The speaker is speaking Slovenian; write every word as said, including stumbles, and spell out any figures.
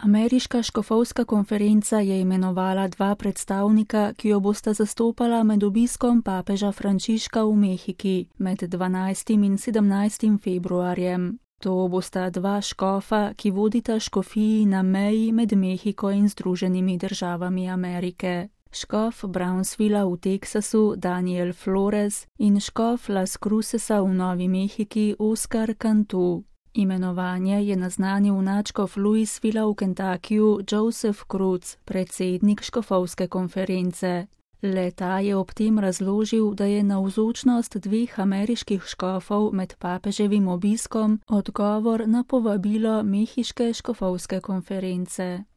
Ameriška škofovska konferenca je imenovala dva predstavnika, ki jo bosta zastopala med obiskom papeža Frančiška v Mehiki med dvanajstim in sedemnajstim februarjem. To bosta dva škofa, ki vodita škofiji na meji med Mehiko in Združenimi državami Amerike. Škof Brownsvilla v Teksasu Daniel Flores in škof Las Crucesa v Novi Mehiki Oscar Cantu. Imenovanje je naznanil nadškof Louisvilla v Kentuckyju Joseph Cruz, predsednik škofovske konference. Le-ta je ob tem razložil, da je navzočnost dveh ameriških škofov med papeževim obiskom odgovor na povabilo mehiške škofovske konference.